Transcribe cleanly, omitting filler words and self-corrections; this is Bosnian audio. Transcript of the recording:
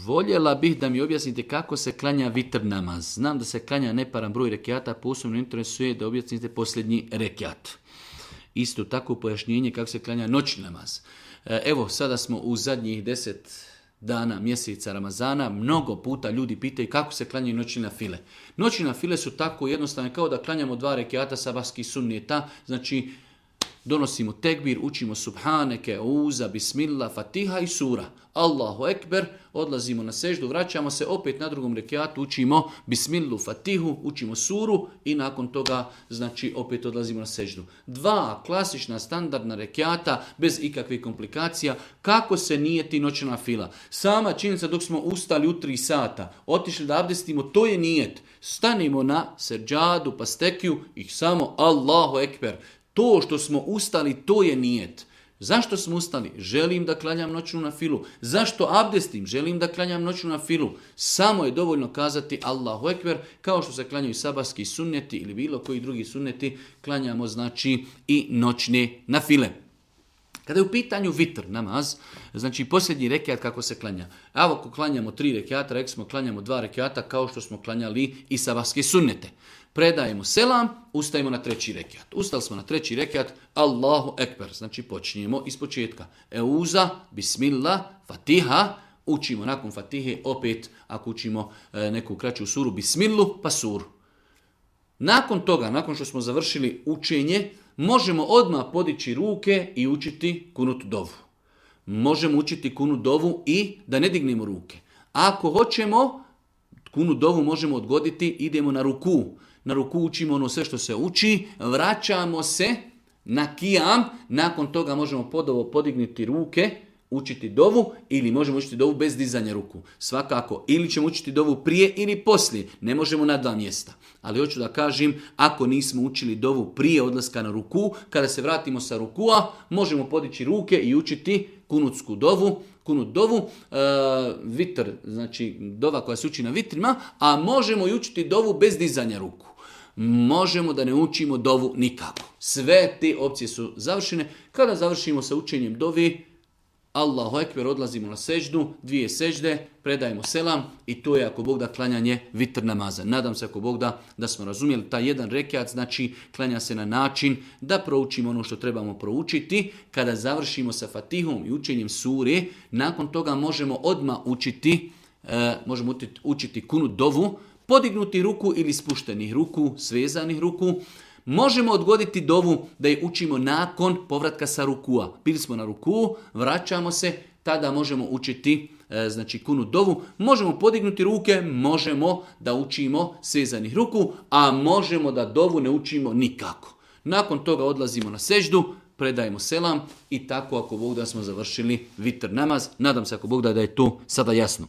Voljela bih da mi objasnite kako se klanja vitr namaz. Znam da se klanja neparan broj rekiata, posebno interesuje da objasnite posljednji rekiat. Isto tako pojašnjenje kako se klanja noćni namaz. Evo, sada smo u zadnjih 10 dana mjeseca Ramazana, mnogo puta ljudi pitaju kako se klanjaju noćni nafile. Noćni nafile su tako jednostavne kao da klanjamo 2 rekiata sabahskih sunneta, znači donosimo tekbir, učimo subhaneke, uza, bismillah, fatiha i sura. Allahu ekber, odlazimo na seždu, vraćamo se opet na drugom rekiatu, učimo bismillu, fatihu, učimo suru i nakon toga znači opet odlazimo na seždu. 2 klasična standardna rekiata bez ikakvih komplikacija. Kako se nijeti noćna fila? Sama činjenica dok smo ustali u 3 sata, otišli da abdestimo, to je nijet. Stanimo na seđadu, pa stekiju i samo Allahu ekber. To što smo ustali, to je nijet. Zašto smo ustali? Želim da klanjam noćnu nafilu. Zašto abdestim? Želim da klanjam noćnu nafilu. Samo je dovoljno kazati Allahu ekber, kao što se klanjaju sabahski sunneti ili bilo koji drugi sunneti, klanjamo znači i noćne nafile. Kada je u pitanju vitr namaz, znači posljednji rekiat kako se klanja. Evo ako klanjamo 3 rekiata, rekli smo klanjamo 2 rekiata kao što smo klanjali i sabahske sunnete. Predajemo selam, ustajemo na 3. rekiat. Ustali smo na 3. rekiat, Allahu ekber, znači počinjemo iz početka. Euza, bismillah, fatiha, učimo nakon fatihe opet, ako učimo neku kraću suru, bismillu, pa suru. Nakon toga, nakon što smo završili učenje, možemo odmah podići ruke i učiti kunut dovu. Možemo učiti kunut dovu i da ne dignemo ruke. Ako hoćemo, kunut dovu možemo odgoditi, idemo na ruku. Na ruku učimo ono sve što se uči, vraćamo se na kijam, nakon toga možemo podignuti ruke, učiti dovu ili možemo učiti dovu bez dizanja ruku. Svakako, ili ćemo učiti dovu prije ili poslije, ne možemo na 2 mjesta. Ali hoću da kažem, ako nismo učili dovu prije odlaska na ruku, kada se vratimo sa rukua, možemo podići ruke i učiti kunutsku dovu, kunut dovu, vitr, znači dova koja se uči na vitrima, a možemo i učiti dovu bez dizanja ruku. Možemo da ne učimo dovu nikako. Sve te opcije su završene. Kada završimo sa učenjem dovi, Allahu ekber, odlazimo na seždu, 2 sežde, predajemo selam i to je ako Bog da klanjanje vitr namaza. Nadam se ako Bog da smo razumjeli taj jedan rekiat, znači klanja se na način da proučimo ono što trebamo proučiti. Kada završimo sa fatihom i učenjem sure, nakon toga možemo odmah učiti kunut dovu, podignuti ruku ili spuštenih ruku, svezanih ruku. Možemo odgoditi dovu da je učimo nakon povratka sa rukua. Bili smo na ruku, vraćamo se, tada možemo učiti znači kunut dovu. Možemo podignuti ruke, možemo da učimo svezanih ruku, a možemo da dovu ne učimo nikako. Nakon toga odlazimo na seždu, predajemo selam i tako ako Bog da smo završili vitr namaz. Nadam se ako Bog da je to sada jasno.